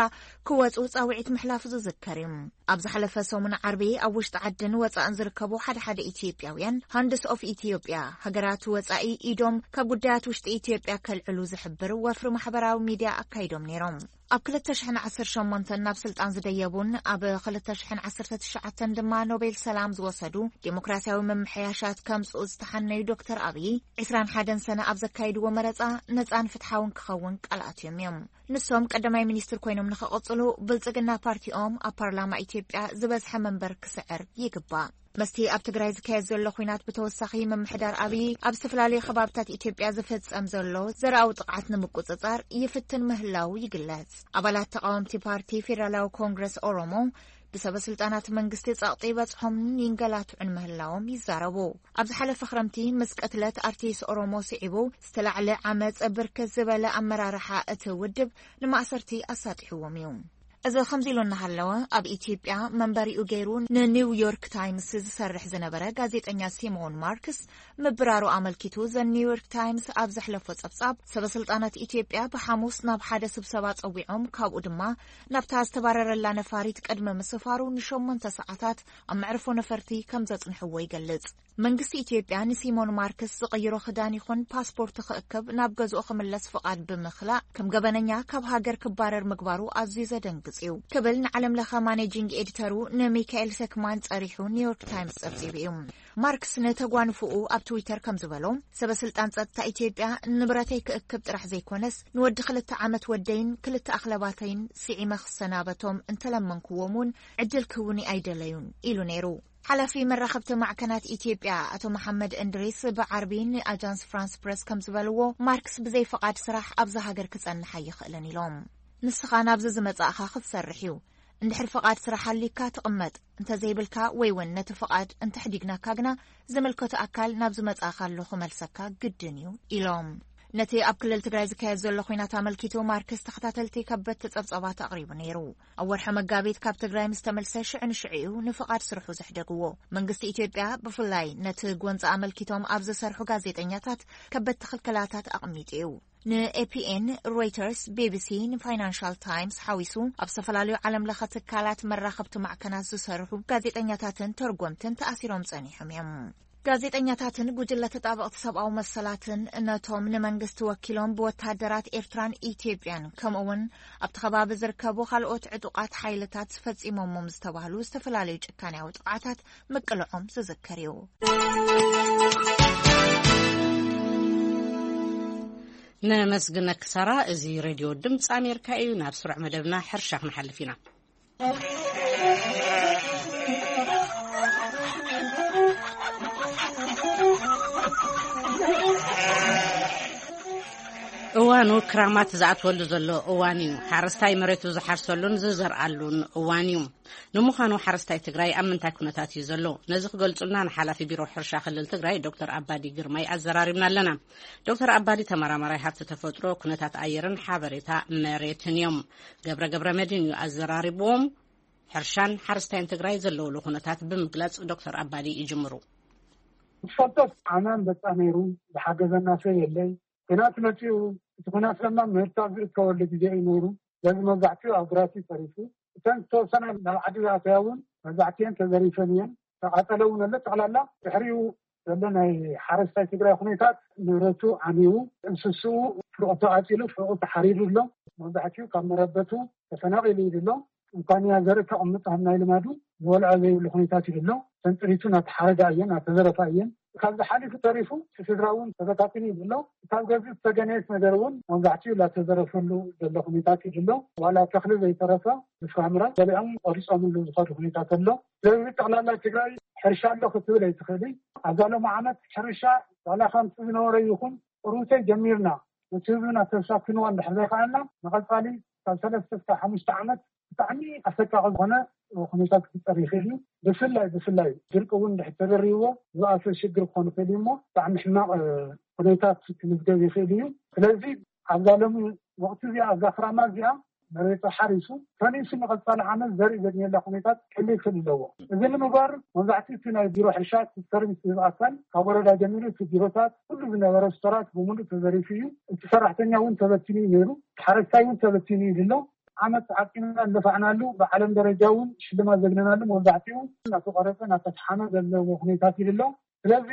ክወጹ ጻውዒት ምሕላፉ ዝዝከር እዩ። ኣብ ዝሓለፈ ሰሙን ዓርቢ ኣብ ውሽጢ ዓድን ወጻእን ዝርከቡ ሓደ ሓደ ኢትዮጵያውያን ሃንድስ ኦፍ ኢትዮጵያ፣ ሃገራት ወጻኢ ኢዶም ካብ ጉዳያት ውሽጢ ኢትዮጵያ ከልዕሉ ዝሕብር ወፍሪ ማሕበራዊ ሚድያ ኣካይዶም ነይሮም። ኣብ ክልተ ሽሕን ዓሰርተ ሸሞንተን ናብ ስልጣን ዝደየቡን ኣብ ክልተ ሽሕን ዓሰርተ ትሽዓተን ድማ ኖቤል ሰላም ዝወሰዱ፣ ዴሞክራሲያዊ ምምሕያሻት ከምጽኡ ዝተሓነዩ ዶክተር ኣብይ፣ ዕስራን ሓደን ሰነ ኣብ ዘካይድዎ መረጻ ነጻን ፍትሓውን ክኸውን ቃል ኣትዮም እዮም። ንሶም ቀዳማይ ሚኒስትር ኮይኖም ንኽቕጽሉ፣ ብልጽግና ፓርቲኦም ኣብ ፓርላማ ኢትዮጵያ ዝበዝሐ መንበር ክስዕር ይግባእ። መስቲ ኣብ ትግራይ ዝካየድ ዘሎ ኲናት ብተወሳኺ፣ ምምሕዳር ኣብይ ኣብ ዝተፈላለዩ ከባብታት ኢትዮጵያ ዝፍጸም ዘሎ ዘርኣዊ ጥቕዓት ንምቁጽጻር ይፍትን ምህላው ይግለጽ። ኣባላት ተቓወምቲ ፓርቲ ፌደራላዊ ኮንግረስ ኦሮሞ፣ ብሰበ ስልጣናት መንግስቲ ጸቕጢ በጽሖምን ይንገላትዑን ምህላዎም ይዛረቡ። ኣብ ዝሓለፈ ክረምቲ፣ ምስ ቅትለት ኣርቲስት ኦሮሞ ስዒቡ ዝተላዕለ ዓመጽ፣ ብርክት ዝበለ ኣመራርሓ እቲ ውድብ ንማእሰርቲ ኣሳጢሕዎም እዩ። እዚ ከምዚ ኢሉ እናሃለወ፣ ኣብ ኢትዮጵያ መንበሪኡ ገይሩ ንኒውዮርክ ታይምስ ዝሰርሕ ዝነበረ ጋዜጠኛ ሲሞን ማርክስ ምብራሩ ኣመልኪቱ፣ ዘ ኒውዮርክ ታይምስ ኣብ ዘሕለፎ ጸብጻብ፣ ሰበስልጣናት ኢትዮጵያ ብሓሙስ ናብ ሓደ ስብሰባ ጸዊዖም፣ ካብኡ ድማ ናብታ ዝተባረረላ ነፋሪት ቅድሚ ምስፋሩ ንሸሞንተ ሰዓታት ኣብ መዕርፎ ነፈርቲ ከም ዘጽንሕዎ ይገልጽ። መንግስቲ ኢትዮጵያ ንሲሞን ማርክስ ዝቕይሮ ክዳን ይኹን ፓስፖርት ክእክብ፣ ናብ ገዝኡ ክምለስ ፍቓድ ብምኽላእ፣ ከም ገበነኛ ካብ ሃገር ክባረር ምግባሩ ኣዝዩ ዘደንግጽ እዩ ክብል ንዓለም ለኸ ማኔጂንግ ኤዲተሩ ንሚካኤል ሰክማን ጸሪሑ ኒውዮርክ ታይምስ ጸብጺቡ እዩ። ማርክስ ንተጓንፍኡ ኣብ ትዊተር ከም ዝበሎ፣ ሰበስልጣን ጸጥታ ኢትዮጵያ ንብረተይ ክእክብ ጥራሕ ዘይኮነስ፣ ንወዲ ክልተ ዓመት ወደይን ክልተ ኣኽለባተይን ስዒመ ክሰናበቶም እንተለመንክዎም እውን ዕድል ክህቡኒ ኣይደለዩን ኢሉ ነይሩ። ሓላፊ መራኸብቲ ማዕከናት ኢትዮጵያ ኣቶ መሓመድ እንድሪስ ብዓርቢ ንኣጃንስ ፍራንስ ፕረስ ከም ዝበልዎ፣ ማርክስ ብዘይ ፍቓድ ስራሕ ኣብዛ ሃገር ክጸንሕ ኣይኽእልን ኢሎም። ንስኻ ናብዚ ዝመጻእኻ ክትሰርሕ እዩ። እንድሕር ፍቓድ ስራሕ ኣሊካ ትቕመጥ፣ እንተዘይብልካ ወይ እውን ነቲ ፍቓድ እንተሕዲግናካ ግና ዝምልከቶ ኣካል ናብ ዝመጻእካሉ ክመልሰካ ግድን እዩ ኢሎም። ነቲ ኣብ ክልል ትግራይ ዝካየድ ዘሎ ኲናት ኣመልኪቱ ማርክስ ተኸታተልቲ ከበድቲ ጸብጻባት ኣቕሪቡ ነይሩ። ኣብ ወርሒ መጋቢት ካብ ትግራይ ምስ ተመልሰ ሽዑ ንሽዑ እዩ ንፍቓድ ስርሑ ዘሕደግዎ። መንግስቲ ኢትዮጵያ ብፍላይ ነቲ ጎንፂ ኣመልኪቶም ኣብ ዝሰርሑ ጋዜጠኛታት ከበድቲ ክልከላታት ኣቕሚጡ እዩ። ንኤፒኤን፣ ሮይተርስ፣ ቢቢሲ፣ ንፋይናንሻል ታይምስ ሓዊሱ ኣብ ዝተፈላለዩ ዓለም ለኸ ትካላት መራኸብቲ ማዕከናት ዝሰርሑ ጋዜጠኛታትን ተርጎምትን ተኣሲሮም ጸኒሖም እዮም። ጋዜጠኛታትን ጉጅለ ተጣበቕቲ ሰብኣዊ መሰላትን ነቶም ንመንግስቲ ወኪሎም ብወታደራት ኤርትራን ኢትዮጵያን ከምኡ እውን ኣብቲ ከባቢ ዝርከቡ ካልኦት ዕጡቓት ሓይልታት ፈጺሞሞም ዝተባህሉ ዝተፈላለዩ ጭካኔያዊ ጥቕዓታት ምቅልዖም ዝዝከር እዩ። ነመስግነኪ ሳራ። እዚ ሬድዮ ድምፂ ኣሜሪካ እዩ። ናብ ስሩዕ መደብና ሕርሻ ክንሓልፍ ኢና። እዋኑ ክራማት ዝኣትወሉ ዘሎ እዋን እዩ። ሓረስታይ መሬቱ ዝሓርሰሉን ዝዘርኣሉን እዋን እዩ። ንምዃኑ ሓረስታይ ትግራይ ኣብ ምንታይ ኩነታት እዩ ዘሎ? ነዚ ክገልጹልና ንሓላፊ ቢሮ ሕርሻ ክልል ትግራይ ዶክተር ኣባዲ ግርማይ ኣዘራሪብና ኣለና። ዶክተር ኣባዲ ተመራማራይ ሃብቲ ተፈጥሮ፣ ኩነታት ኣየርን ሓበሬታ መሬትን እዮም። ገብረ ገብረ መድህን እዩ ኣዘራሪብዎም። ሕርሻን ሓረስታይን ትግራይ ዘለውሉ ኩነታት ብምግላጽ ዶክተር ኣባዲ ይጅምሩ። ትፈልጦ፣ ዓማን በጻ ነይሩ፣ ዝሓገዘና ሰብ የለይ። ኩናት መጺኡ፣ እቲ ኩናት ድማ ምህርቲ ኣብ ዝእከበሉ ግዜ እዩ ነይሩ። ስለዚ መብዛሕትኡ ኣብ ግራት እዩ ተሪፉ። እተን ዝተወሰና ናብ ዓዲ ዝኣተያ እውን መብዛሕትኤን ተዘሪፈን እየን። ተቓጸለ እውን ኣሎ። ጠቕላላ ድሕሪኡ ዘሎ ናይ ሓረስታይ ትግራይ ኩነታት፣ ንብረቱ ዓንዩ፣ እንስስኡ ፍርቑ ተቓጺሉ፣ ፍርቑ ተሓሪዱ ኣሎ። መብዛሕትኡ ካብ መረበቱ ተፈናቒሉ እዩ ዘሎ። እንኳን እያ ዘርኢ ከቕምጥ ከም ናይ ልማዱ ዝበልዖ ዘይብሉ ኩነታት እዩ ዘሎ። ተንጥሪቱ እናተሓረዳ እየን፣ እናተዘረፋ እየን። ካብዚ ሓሊፉ ተሪፉ እቲ ስድራ እውን ተበታቲኑ እዩ ዘሎ። ካብ ገዝኡ ዝተገነየት ነገር እውን መብዛሕትኡ እናተዘረፈሉ ዘሎ ኩነታት እዩ ዘሎ። ዋላ ተኽሊ ዘይተረፈ ብፍራምረ በሊዖም ቆሪጾምሉ ዝኸዱ ኩነታት ኣሎ። ስለዚ ጠቕላላ ትግራይ ሕርሻ ኣሎ ክትብል ኣይትኽእልን። ኣብዛ ሎሚ ዓመት ሕርሻ ዋላ ከምቲ ዝነበረ ይኹን ቁሩብተይ ጀሚርና ነቲ ህዝብና ተሳክንዋ እንድሕር ዘይከኣልና ንቐጻሊ ካብ ሰለስተ እስካብ ሓሙሽተ ዓመት ብጣዕሚ ኣሰቃቒ ዝኾነ ኩነታት ክፍጠር ይኽእል እዩ። ብፍላይ ብፍላይ ድርቂ እውን እንድሕር ተደሪብዎ ዝኣሰ ሽግር ክኾን ይኽእል እዩ እሞ ብጣዕሚ ሕማቕ ኩነታት ክምዝገብ ይኽእል እዩ። ስለዚ ኣብዛ ሎሚ ወቕቲ እዚኣ ኣብዛ ክራማ እዚኣ መሬቱ ሓሪሱ ፈኒሱ ንቐፃሊ ዓመት ዘርኢ ዘግንየላ ኩነታት ክህሉ ይኽእል ኣለዎ። እዚ ንምግባር መብዛሕትኡ እቲ ናይ ቢሮ ሕርሻ እቲ ሰርቪስ ዝህብ ኣካል ካብ ወረዳ ጀሚሩ እቲ ቢሮታት ኩሉ ዝነበረ ስቶራት ብምሉእ ተዘሪፉ እዩ። እቲ ሰራሕተኛ እውን ተበቲኑ እዩ ነይሩ። ሓረስታይ እውን ተበቲኑ እዩ ዘሎ። ዓመት ዓቂብና ኣለፋዕናሉ ብዓለም ደረጃ እውን ሽልማት ዘግነናሉ መብዛሕትኡ እናተቆረፀ እናተስሓመ ዘለዎ ኩነታት እዩ ዘሎ። ስለዚ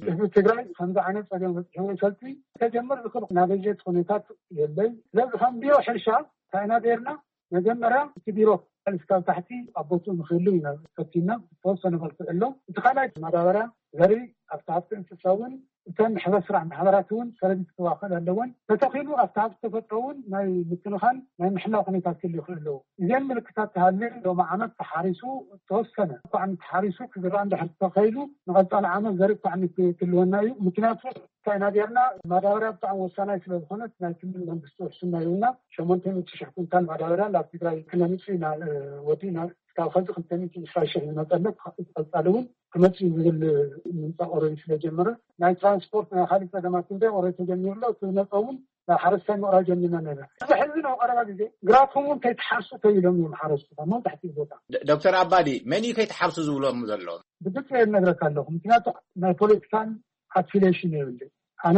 ህዝቢ ትግራይ ከምዚ ዓይነት ፀገም በፂሕዎ ይፈልጥ ከጀምር ዝኽእል ናይ በጀት ኩነታት የለይ። ስለዚ ከም ቢሮ ሕርሻ እንታይ ኢና ገይርና? መጀመርያ እቲ ቢሮ እስካብ ታሕቲ ኣብ ቦትኡ ንክህሉ ኢና ፈቲና ዝተወሰነ መልክዕ ኣሎ። እቲ ካልኣይ ማዳበርያ ዘርኢ ኣብቲ ሃብቲ እንስሳ እውን እተን ሕብረት ስራሕ ማሕበራት እውን ሰረቢት ክዋኸል ኣለወን። ተተኺሉ ኣብቲ ሃብቲ ተፈጥሮ እውን ናይ ምክንኻን ናይ ምሕላው ኩነታት ክህሉ ይኽእል ኣለዎ። እዚን ምልክታት ተሃልዩ ሎሚ ዓመት ተሓሪሱ ተወሰነ እኳ ዓመት ተሓሪሱ ክዝራእ እንድሕር ተኸይሉ ንቐፃሊ ዓመት ዘርኢ እኳ ዓመት ክህልወና እዩ። ምክንያቱ እንታይ ኢና ጌርና ማዳበርያ ብጣዕሚ ወሳናይ ስለ ዝኾነት ናይ ክልል መንግስቲ ውሕስና ይብልና ሸሞንተ ሚእቲ ሽሕ ኩንታል ማዳበርያ ናብ ትግራይ ክነምፅእ ኢና ወዲእና። ካብ ከዚ ክልተ ሚእቲ ዕስራ ሽሕ ዝመፀለት ቀፃሊ እውን ክመፅእ ዝብል ምምፃእ ኦረዲ ስለ ጀመረ ናይ ትራንስፖርት ናይ ካልእ ፀገማት ክንደ ኦረዲ ተጀሚሩ ኣሎ። እቲ ዝመፀ እውን ናብ ሓረስታይ ምቕራብ ጀሚርና ነና። እዚ ሕዚ ናብ ቀረባ ግዜ ግራትኩም እውን ከይትሓርሱ ተይሎም እዮም ሓረስቱ ካብ መብዛሕትኡ ቦታ። ዶ- ዶክተር ኣባዲ፣ መን እዩ ከይትሓርሱ ዝብሎም ዘሎ? ብግልፂ እነግረካ ኣለኹ፣ ምክንያቱ ናይ ፖለቲካን ኣፊሌሽን የብለይ። ኣነ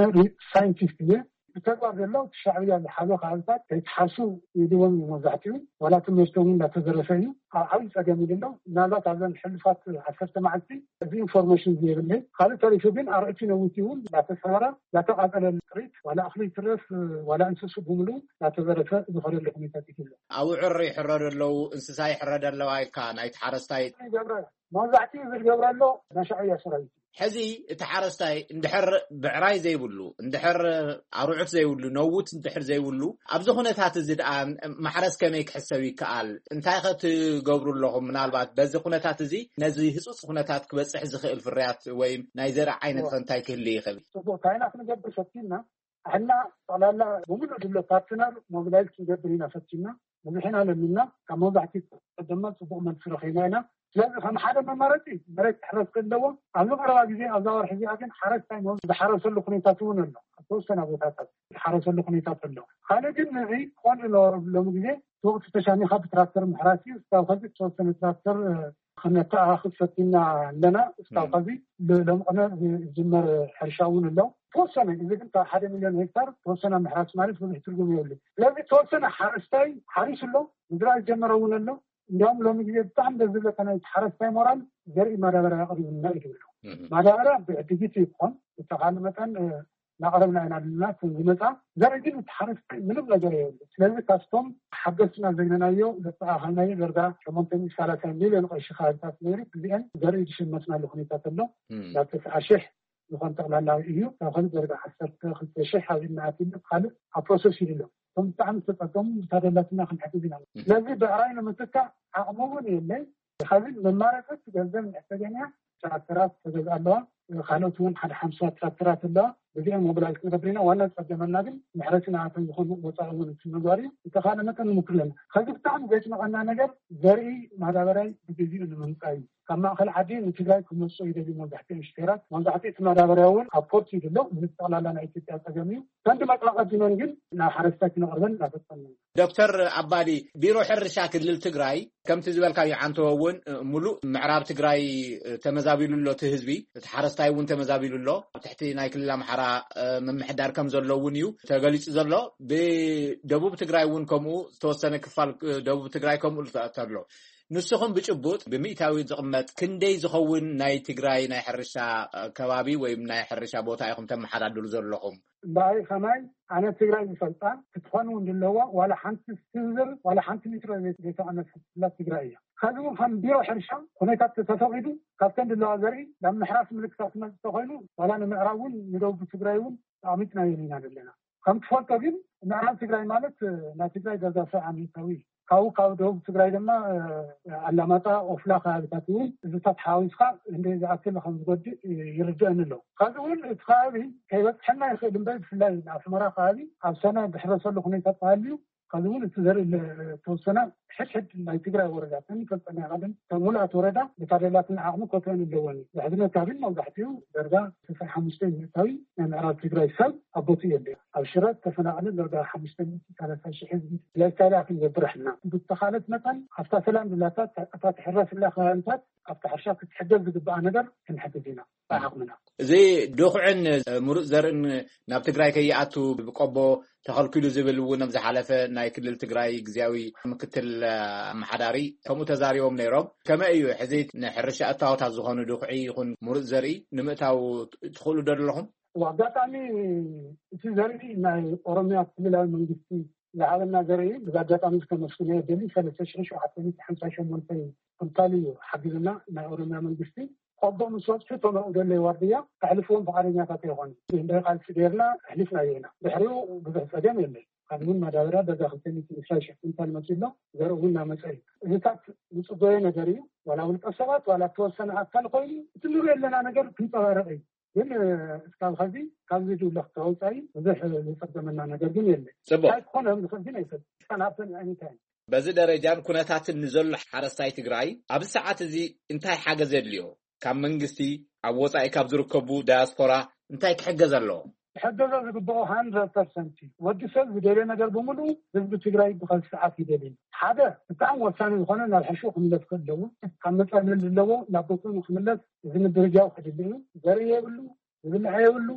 ሳይንቲስት እየ። ብተግባር ዘሎ እቲ ሻዕብያ ዝሓዞ ከባቢታት ከይትሓርሱ ይድዎም እዩ መብዛሕትኡ። ዋላ ትምህርቶም እውን እንዳተዘረፈ እዩ። ኣብ ዓብዪ ፀገም እዩ ዘሎ። ምናልባት ኣብዘን ሕሉፋት ዓሰርተ መዓልቲ እዚ ኢንፎርሜሽን የብለይ። ካልእ ተሪፉ ግን ኣርዑቲ ነዊቲ እውን እንዳተሰበረ እንዳተቃፀለ ጥሪት ዋላ እኽሊ ይትረፍ ዋላ እንስሱ ብምሉ እንዳተዘረፈ ዝኸደሉ ኩነታት እዩ ዘሎ። ኣውዕር ይሕረዱ ኣለዉ፣ እንስሳ ይሕረድ ኣለዋ ኢልካ ናይቲ ሓረስታይ። ይገብረ መብዛሕትኡ ዝገብረ ኣሎ ናይ ሻዕብያ ሰራዊት። ሕዚ እቲ ሓረስታይ እንድሕር ብዕራይ ዘይብሉ፣ እንድሕር ኣርዑት ዘይብሉ፣ ነውት እንድሕር ዘይብሉ፣ ኣብዚ ኩነታት እዚ ደኣ ማሕረስ ከመይ ክሕሰብ ይከኣል? እንታይ ከ ትገብሩ ኣለኹም? ምናልባት በዚ ኩነታት እዚ ነዚ ህጹጽ ኩነታት ክበጽሕ ዝኽእል ፍርያት ወይ ናይ ዘርኢ ዓይነት ከ እንታይ ክህሉ ይኽእል? ጽቡቅ፣ እንታይ ኢና ክንገብር ፈቲና? ሕና ጠቕላላ ብምሉእ ድሎ ፓርትነር ሞቢላይዝ ክንገብር ኢና ፈቲና። ብዙሕ ኢና ለሚና፣ ካብ መብዛሕትኡ ድማ ጽቡቕ መልሲ ረኺብና ኢና። ስለዚ ከም ሓደ መማረፂ መሬት ክሕረስ ከለዎ ኣብዚ ቀረባ ግዜ ኣብዛ ወርሒ እዚኣ ግን ሓረስታይ ዝሓረሰሉ ኩነታት እውን ኣሎ። ኣብ ተወሰነ ቦታታት ዝሓረሰሉ ኩነታት ኣሎ። ካልእ ግን ነዚ ክኾን ዝነበሮ ሎሚ ግዜ እቲ ወቅቲ ተሻሚኻ ብትራክተር ምሕራስ እዩ። እስካብ ከዚ ዝተወሰነ ትራክተር ክነተኣኻኽብ ፈቲና ኣለና። እስካብ ከዚ ሎሚ ቅነ ዝጅመር ሕርሻ እውን ኣሎ። ተወሰነ እዚ ግን ካብ ሓደ ሚሊዮን ሄክታር ተወሰነ ምሕራስ ማለት ብዙሕ ትርጉም የብሉ። ስለዚ ተወሰነ ሓረስታይ ሓሪሱ ኣሎ፣ ምዝራእ ዝጀመረ እውን ኣሎ። እንዲያውም ሎሚ ግዜ ብጣዕሚ ደስ ዝብለካ ናይ ሓረስታይ ሞራል ዘርኢ ማዳበርያ ኣቕሪቡልና እዩ ዝብሎ። ማዳበርያ ብዕድጊት ይኮን ዝተኻለ መጠን እናቕረብና ኢና ኣለና። ዝመፃ ዘርኢ ግን እቲ ሓረስታይ ምንም ነገር የብሉ። ስለዚ ካብቶም ሓገዝትና ዘይነናዮ ዘተኣኻልናዮ ደርጋ ሸሞንተ ሚእቲ ሰላሳ ሚሊዮን ቅርሺ ከባቢታት ነይሩ። እዚአን ዘርኢ ዝሽመትናሉ ኩነታት ኣሎ። ናብ ተስዓ ሽሕ ዝኾን ጠቕላላዊ እዩ። ካብ ካልእ ደረጃ ዓሰርተ ክልተ ሽሕ ኣብ ኢድና ኣትዩ ካልእ ኣብ ፕሮሰስ እዩ ኣሎ። እቶም ብጣዕሚ ዝተፀገሙ ብታደላትና ክንሕግዝ ኢና። ስለዚ ብዕራይ ንምትካእ ዓቕሚ እውን የለይ። ካብን መማረፂ ገንዘብ ንሕተገኛ ትራክተራት ተገዝ ኣለዋ። ካልኦት እውን ሓደ ሓምሳ ትራክተራት ኣለዋ። በዚኦም ሞቢላይዝ ክንገብር ኢና። ዋና ዝፀገመና ግን መሕረሲ ንኣቶም ዝኾኑ ወፃኢ እውን እቲ ምግባር እዩ። ዝተኻለ መጠን ንሙክር ኣለና። ከዚ ብጣዕሚ ዘጭንቐና ነገር ዘርኢ ማዳበርያ ብግዜኡ ንምምፃእ እዩ። ካብ ማእኸል ዓዲ ንትግራይ ክመፅኡ ይደልዩ መብዛሕትኦም ሽፌራት። መብዛሕትኡ እቲ ማዳበርያ እውን ኣብ ፖርት እዩ ዘሎ። እዚ ጠቕላላ ናይ ኢትዮጵያ ፀገም እዩ። ከንዲ መፅኣ ቀዲመን ግን ናብ ሓረስታይ ክነቕርበን እናፈፀምና ኢና። ዶክተር ኣባዲ፣ ቢሮ ሕርሻ ክልል ትግራይ ከምቲ ዝበልካዮ ዓንተቦ እውን ሙሉእ ምዕራብ ትግራይ ተመዛቢሉ ኣሎ እቲ ህዝቢ። እቲ ሓረስታይ እውን ተመዛቢሉ ኣሎ። ኣብ ትሕቲ ናይ ክልል ኣምሓራ ምምሕዳር ከም ዘሎ እውን እዩ ተገሊፁ ዘሎ። ብደቡብ ትግራይ እውን ከምኡ፣ ዝተወሰነ ክፋል ደቡብ ትግራይ ከምኡ ኣሎ። ንስኹም ብጭቡጥ ብሚእታዊ ዝቕመጥ ክንደይ ዝኸውን ናይ ትግራይ ናይ ሕርሻ ከባቢ ወይም ናይ ሕርሻ ቦታ ኢኹም ተመሓዳድሩ ዘለኹም? እምበኣይ ከማይ ኣነ ትግራይ ዝፈልጣ ክትኾን እውን ድለዋ ዋላ ሓንቲ ስንዝር ዋላ ሓንቲ ሊትሮ ዘይተቐነሰላ ትግራይ እያ። ከዚ እውን ከም ቢሮ ሕርሻ ኩነታት ተተፈቒዱ ካብተን ድለዋ ዘርኢ ናብ ምሕራስ ምልክታት መፅእ ተኮይኑ ዋላ ንምዕራብ እውን ንደቡብ ትግራይ እውን ኣቕሚጥናዮ ኢና ዘለና። ከም ትፈልጦ ግን ምዕራብ ትግራይ ማለት ናይ ትግራይ ደርጋ ሰብዓ ሚእታዊ እዩ። ካብኡ ካብ ደቡብ ትግራይ ድማ ኣላማጣ፣ ኦፍላ ከባቢታት እውን እዚታት ሓዊስካ እንደ ዝኣክል ከም ዝጎድእ ይርድአኒ ኣሎ። ካብዚ እውን እቲ ከባቢ ከይበፅሐና ይኽእል እምበር ብፍላይ ኣስመራ ከባቢ ኣብ ሰነ ዝሕረሰሉ ኩነታት ተሃልዩ ከዚ እውን እቲ ዘርኢ ዝተወሰነ ሕድሕድ ናይ ትግራይ ወረዳ ተንፈልጠና ቀደም ሙሉኣት ወረዳ ብታደላትን ዓቕሚ ኮተን ኣለወን። ዘሕዝነካ ግን መብዛሕትኡ ደርጋ ስልሳ ሓሙሽተ ሚእታዊ ናይ ምዕራብ ትግራይ ሰብ ኣብ ቦትኡ የለ። ኣብ ሽረ ተፈናቐለ ደርጋ ሓሙሽተ ሚእቲ ሰላሳ ሽሕ ህዝቢ ላይስታይል ኣክል ዘብረሕና ብተኻለት መጠን ኣብታ ሰላም ዝብላታት እታ ትሕረስላ ከባቢታት ኣብታ ሕርሻ ክትሕገዝ ዝግባኣ ነገር ክንሕግዝ ኢና ብዓቕምና። እዚ ድኹዕን ምሩፅ ዘርእን ናብ ትግራይ ከይኣቱ ብቆቦ ተኸልኪሉ ዝብል እውን ኣብ ዝሓለፈ ናይ ክልል ትግራይ ግዜያዊ ምክትል ኣመሓዳሪ ከምኡ ተዛሪቦም ነይሮም። ከመይ እዩ ሕዚ ንሕርሻ እታወታት ዝኾኑ ድኹዒ ይኹን ምሩፅ ዘርኢ ንምእታው ትኽእሉ ዶ ኣለኹም? ኣጋጣሚ እቲ ዘርኢ ናይ ኦሮሚያ ክልላዊ መንግስቲ ዝሃበና ዘርኢ እዩ። ብዚ ኣጋጣሚ ከመስግኖ ደሊ ሰለስተ ሽሕ ሸውዓተ ሚእቲ ሓምሳ ሸሞንተ ኩንታል እዩ ሓጊዝና ናይ ኦሮሚያ መንግስቲ። ቆቦ ምስ በፅሑ እቶም ኣብኡ ዘለዉ ዋርድያ ከሕልፍዎም ፍቓደኛታት ኣይኾኑን። እንደ ቃልሲ ገይርና ኣሕሊፍናዮ ኢና። ድሕሪኡ ብዙሕ ፀገም የለን። ካልእ እውን ማዳበርያ ደርጋ ክልተ ሚእቲ ዕስራ ሽሕ ኩንታል መፂኡ ኣሎ። ዘርኢ እውን እናመፀ እዩ። እዚታት ዝፅበዮ ነገር እዩ። ዋላ ውልቀ ሰባት ዋላ እተወሰነ ኣካል ኮይኑ እቲ ንሪኦ ዘለና ነገር ክንፀባረቕ እዩ። ግን እስካብ ኸዚ ካብዚ ድውለ ክተወፃኢ ብዙሕ ዝፀገመና ነገር ግን የለን። ፅቡቅ። እንታይ ክኾነ ከም ዝኽእል ግን ኣይፈልጥን። እስካን ሃፕን ኣኒታይም። በዚ ደረጃን ኩነታትን ንዘሎ ሓረስታይ ትግራይ ኣብዚ ሰዓት እዚ እንታይ ሓገዝ የድልዮ? ካብ መንግስቲ፣ ኣብ ወፃኢ ካብ ዝርከቡ ዳያስፖራ እንታይ ክሕገዝ ኣለዎ? ክሕገዞ ዝግብኦ ሃንድረድ ፐርሰንት እዩ። ወዲ ሰብ ዝደልዮ ነገር ብምሉኡ ህዝቢ ትግራይ ብኸዚ ሰዓት ይደልዩ። ሓደ ብጣዕሚ ወሳኒ ዝኾነ ናብ ሕሹ ክምለስ ክእለዎ፣ ካብ መፀለል ዘለዎ ናብ ቦትኡ ንክምለስ እዚ ምድርጃው ከድሊ እዩ። ዘርኢ የብሉ፣ ዝብልዐ የብሉ፣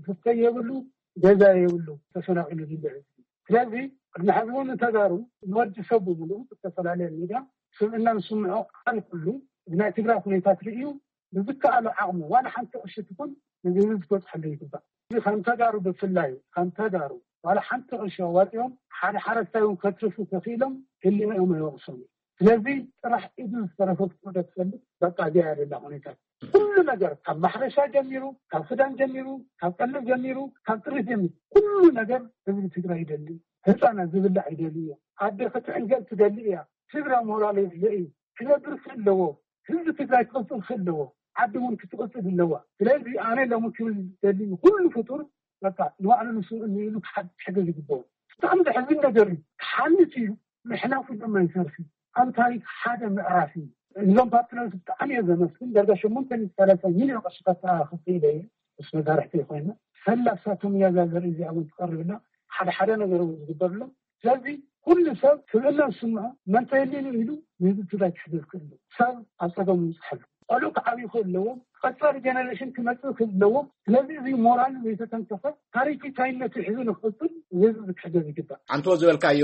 ዝስተ የብሉ፣ ገዛ የብሉ፣ ተፈናቂሉ ዝብልዕ ህዝቢ። ስለዚ ቅድሚ ሕዚ እውን ንተጋሩ ንወዲ ሰብ ብምሉኡ ብዝተፈላለየ ሚድያ ስብእና ዝስምዖ ኣካል ኩሉ ብናይ ትግራይ ሁኔታት ርእዩ ብዝከኣሎ ዓቕሙ ዋላ ሓንቲ ቅርሺ ትኹን ንህዝቢ ክበፅሐሉ ይግባእ። እዚ ከም ተጋሩ ብፍላይ ከም ተጋሩ ዋላ ሓንቲ ቅርሺ ኣዋፂኦም ሓደ ሓረስታይ እውን ከትርፉ ተኽኢሎም ህሊንኦም ኣይወቕሶም እዩ። ስለዚ ጥራሕ ኢዱ ዝተረፈ ፍጡር ትፈልጥ በቃ እዚኣ ያደላ ሁኔታ ኩሉ ነገር ካብ ማሕረሻ ጀሚሩ ካብ ክዳን ጀሚሩ ካብ ቀለብ ጀሚሩ ካብ ጥሪት ጀሚሩ ኩሉ ነገር ህዝቢ ትግራይ ይደሊ። ህፃናት ዝብላዕ ይደሊ እዮም። ኣደ ክትዕንገል ትደሊ እያ። ስድራ ሞራል የድልዮ እዩ። ክነብር ክእለዎ ህዝቢ ትግራይ ክቕፅል ክእለዎ ዓዲ እውን ክትቕፅል ኣለዋ። ስለዚ ኣነ ሎሚ ክብል ዝደሊ ንኩሉ ፍጡር በቃ ንባዕሉ ንስኡ ንኢሉ ክሓ- ክሕገዝ ይግበኦ። ብጣዕሚ ዘሕዝን ነገር እዩ። ክሓልፍ እዩ። ምሕላፉ ድማ ይሰርፊ ኣብ ታሪክ ሓደ ምዕራፍ እዩ። እዞም ፓርትነርስ ብጣዕሚ እየ ዘመስግን። ዳርጋ ሸሞንተ ሚእቲ ሰላሳ ሚልዮን ቅርሽታት ክፍለ እየ ምስ መሳርሕቲ ኮይና ሰላሳቶም እያ እዛ ዘርኢ እዚኣ እውን ትቐርብና ሓደ ሓደ ነገር እውን ዝግበርሎም። ስለዚ ኩሉ ሰብ ስብእና ዝስምዖ መን ተየሊሉ ኢሉ ንህዝቢ ትግራይ ክሕግዝ ክእል ሰብ ኣብ ፀገም ይብፅሐሉ። ቆልዑ ክዓብዩ ክእለዎም ቀፃሊ ጀነሬሽን ክመፅእ ክእለዎም። ስለዚ እዚ ሞራል ዘይተተንከፈ ታሪክ ኢትራይነቱ ሒዙ ንክቕፅል ንህዝቢ ክሕገዝ ይግባእ። ኣንቶ ዝበልካዮ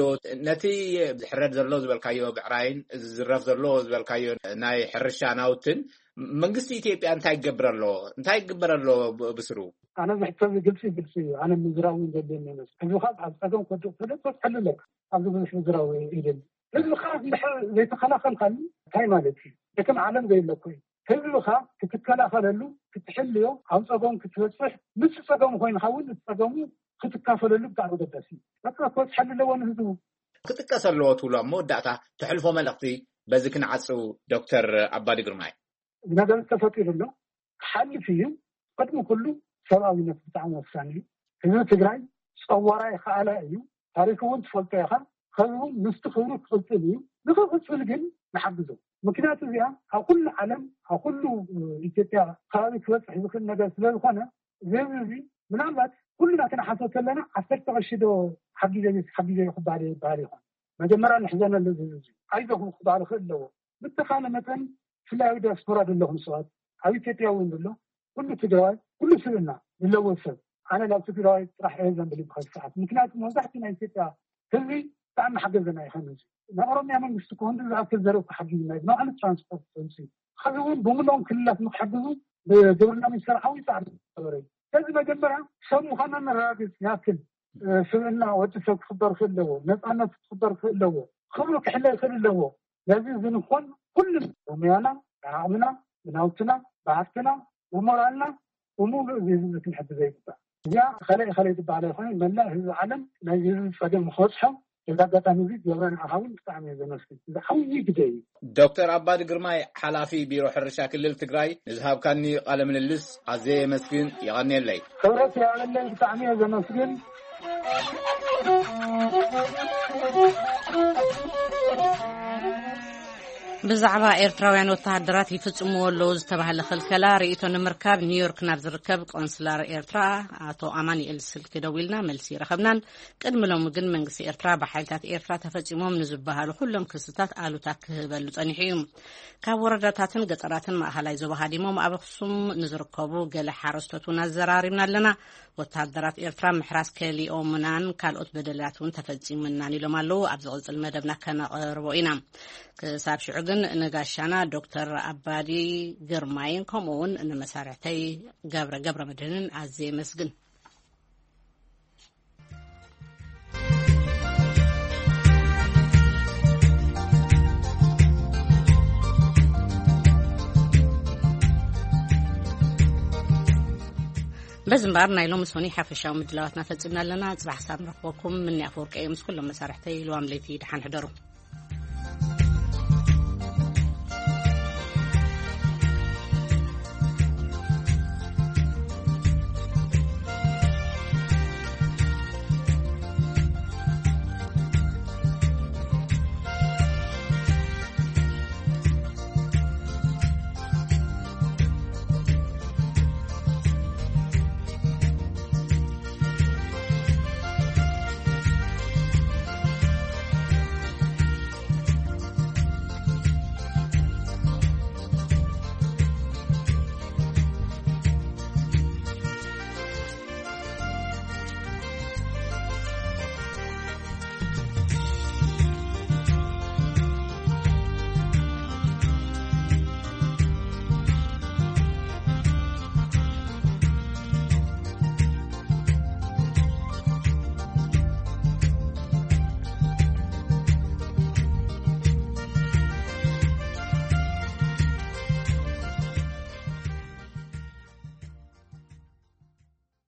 ነቲ ዝሕረድ ዘሎ ዝበልካዮ ብዕራይን ዝዝረፍ ዘሎ ዝበልካዮ ናይ ሕርሻ ናውትን መንግስቲ ኢትዮጵያ እንታይ ይገብር ኣሎ? እንታይ ይግበር ኣሎ ብ- ብስሩ? ኣነ ዝሕቶ እዚ ግልፂ ግልፂ እዩ። ኣነ ምዝራብ እውን ዘድልየኒ ይመስል። ህዝብኻ ኣብ ፀገም ከድቕ ተደ ትፈትሐሉ ኣለካ ኣብዚ ብዙሕ ምዝራብ ይደሊ። ህዝብኻ እንድሕር ዘይተኸላኸልካሉ እንታይ ማለት እዩ? ደከም ዓለም ዘይለኮ እዩ። ህዝብኻ ክትከላኸለሉ ክትሕልዮ ኣብ ፀገም ክትበፅሕ ምስ ፀገም ኮይንካ እውን እቲ ፀገሙ ክትካፈለሉ ብጣዕሚ ገዳሲ እዩ። በቃ ክበፅሐሉ ኣለዎ ንህዝቡ። ክጥቀስ ኣለዎ ትብሎ ኣብ መወዳእታ ተሕልፎ መልእኽቲ በዚ ክንዓፅው ዶክተር ኣባዲ ግርማይ። ነገር ተፈጢሩ ኣሎ። ክሓልፍ እዩ። ቅድሚ ኩሉ ሰብኣዊነት ብጣዕሚ ወሳኒ እዩ። ህዝቢ ትግራይ ፀዋራ ይኸኣላ እዩ። ታሪክ እውን ትፈልጦ ኢኻ። ከዚ እውን ምስቲ ክብሩ ክቕፅል እዩ። ንክቕፅል ግን ንሓግዞ። ምክንያቱ እዚኣ ኣብ ኩሉ ዓለም ኣብ ኩሉ ኢትዮጵያ ከባቢ ክበፅሕ ዝኽእል ነገር ስለዝኾነ እዚ ህዝቢ እዚ ምናልባት ኩልና ክንሓሶ ከለና ዓሰርተ ቅርሺ ዶ ሓጊዘ ሓጊዘ ክበሃል ይበሃል ይኾን። መጀመርያ ንሕዘነሉ እዚ ህዝቢ ኣይዞኹም ክበሃል ይኽእል ኣለዎ። ብተኻለ መጠን ብፍላይ ኣብ ዲያስፖራ ዘለኹም ሰባት ኣብ ኢትዮጵያ እውን ዘሎ ኩሉ ትግራዋይ ኩሉ ስብእና ዘለዎ ሰብ ኣነ ናብ ትግራዋይ ጥራሕ እየ ዘንብል ይብሃል ሰዓት ምክንያቱ መብዛሕቲ ናይ ኢትዮጵያ ህዝቢ ብጣዕሚ ሓገዘና ይኸን እዚ ናይ ኦሮሚያ መንግስቲ ከሆን ዝኣክል ዘረብ ክሓግዝ ናይ ንባዕሉ ትራንስፖርት ተምሲ ከዚ እውን ብምሎም ክልላት ንክሕግዙ ብግብርና ሚኒስተር ዓብይ ፃዕሪ ገበረ እዩ። ስለዚ መጀመርያ ሰብ ምዃና ነረጋግፅ ይኣክል ስብእና ወዲ ሰብ ክኽበር ክእለዎ ነፃነት ክኽበር ክእለዎ ክብሩ ክሕለ ይኽእል ኣለዎ። ስለዚ ዝንኾን ኩሉም ብሙያና ብዓቕምና ብናውትና ብሃፍትና ብሞራልና ብሙሉእ እዚ ህዝቢ ክንሕግዘ ይግባእ። እዚኣ ከለይ ከለይ ዝበሃል ኣይኮነ መላእ ህዝቢ ዓለም ናይ ህዝቢ ፀገም ንክበፅሖ እዚ ኣጋጣሚ እዚ ገብረ ንዓኻ እውን ብጣዕሚ እየ ዘመስግን። እዚ ዓብዪ ግደ እዩ። ዶክተር ኣባዲ ግርማይ ሓላፊ ቢሮ ሕርሻ ክልል ትግራይ ንዝሃብካኒ ቃለ ምልልስ ኣዝየ የመስግን። የቐንየለይ። ክብረት የቐንየለይ። ብጣዕሚ እየ ዘመስግን። ብዛዕባ ኤርትራውያን ወተሃደራት ይፍጽምዎ ኣለዉ ዝተባህለ ክልከላ ርእይቶ ንምርካብ ኒውዮርክ ናብ ዝርከብ ቆንስላር ኤርትራ ኣቶ ኣማኑኤል ስልኪ ደዊልና መልሲ ይረኸብናን ቅድሚ ሎሚ ግን መንግስቲ ኤርትራ ብሓይልታት ኤርትራ ተፈጺሞም ንዝበሃሉ ኩሎም ክስታት ኣሉታ ክህበሉ ጸኒሑ እዩ። ካብ ወረዳታትን ገጠራትን ማእኸላይ ዞባ ሃዲሞም ኣብ ኣኽሱም ንዝርከቡ ገለ ሓረስቶት እውን ኣዘራሪብና ኣለና። ወተሃደራት ኤርትራ ምሕራስ ከሊኦምናን ካልኦት በደላት እውን ተፈጺሙናን ኢሎም ኣለዉ። ኣብ ዝቕጽል መደብና ከነቕርቦ ኢና። ክሳብ ሽዑ ግን ንጋሻና ዶክተር ኣባዲ ግርማይን ከምኡ እውን ንመሳርሕተይ ገብረ ገብረ መድህንን ኣዝየ የመስግን። በዚ እምበኣር ናይ ሎሚ ሶኒ ሓፈሻዊ ምድላዋትና ፈጺምና ኣለና። ጽባሕ ክሳብ ንረኽበኩም ምኒ ኣፈወርቂ እየ ምስ ኩሎም መሳርሕተይ ልዋም ለይቲ ደሓን ሕደሩ።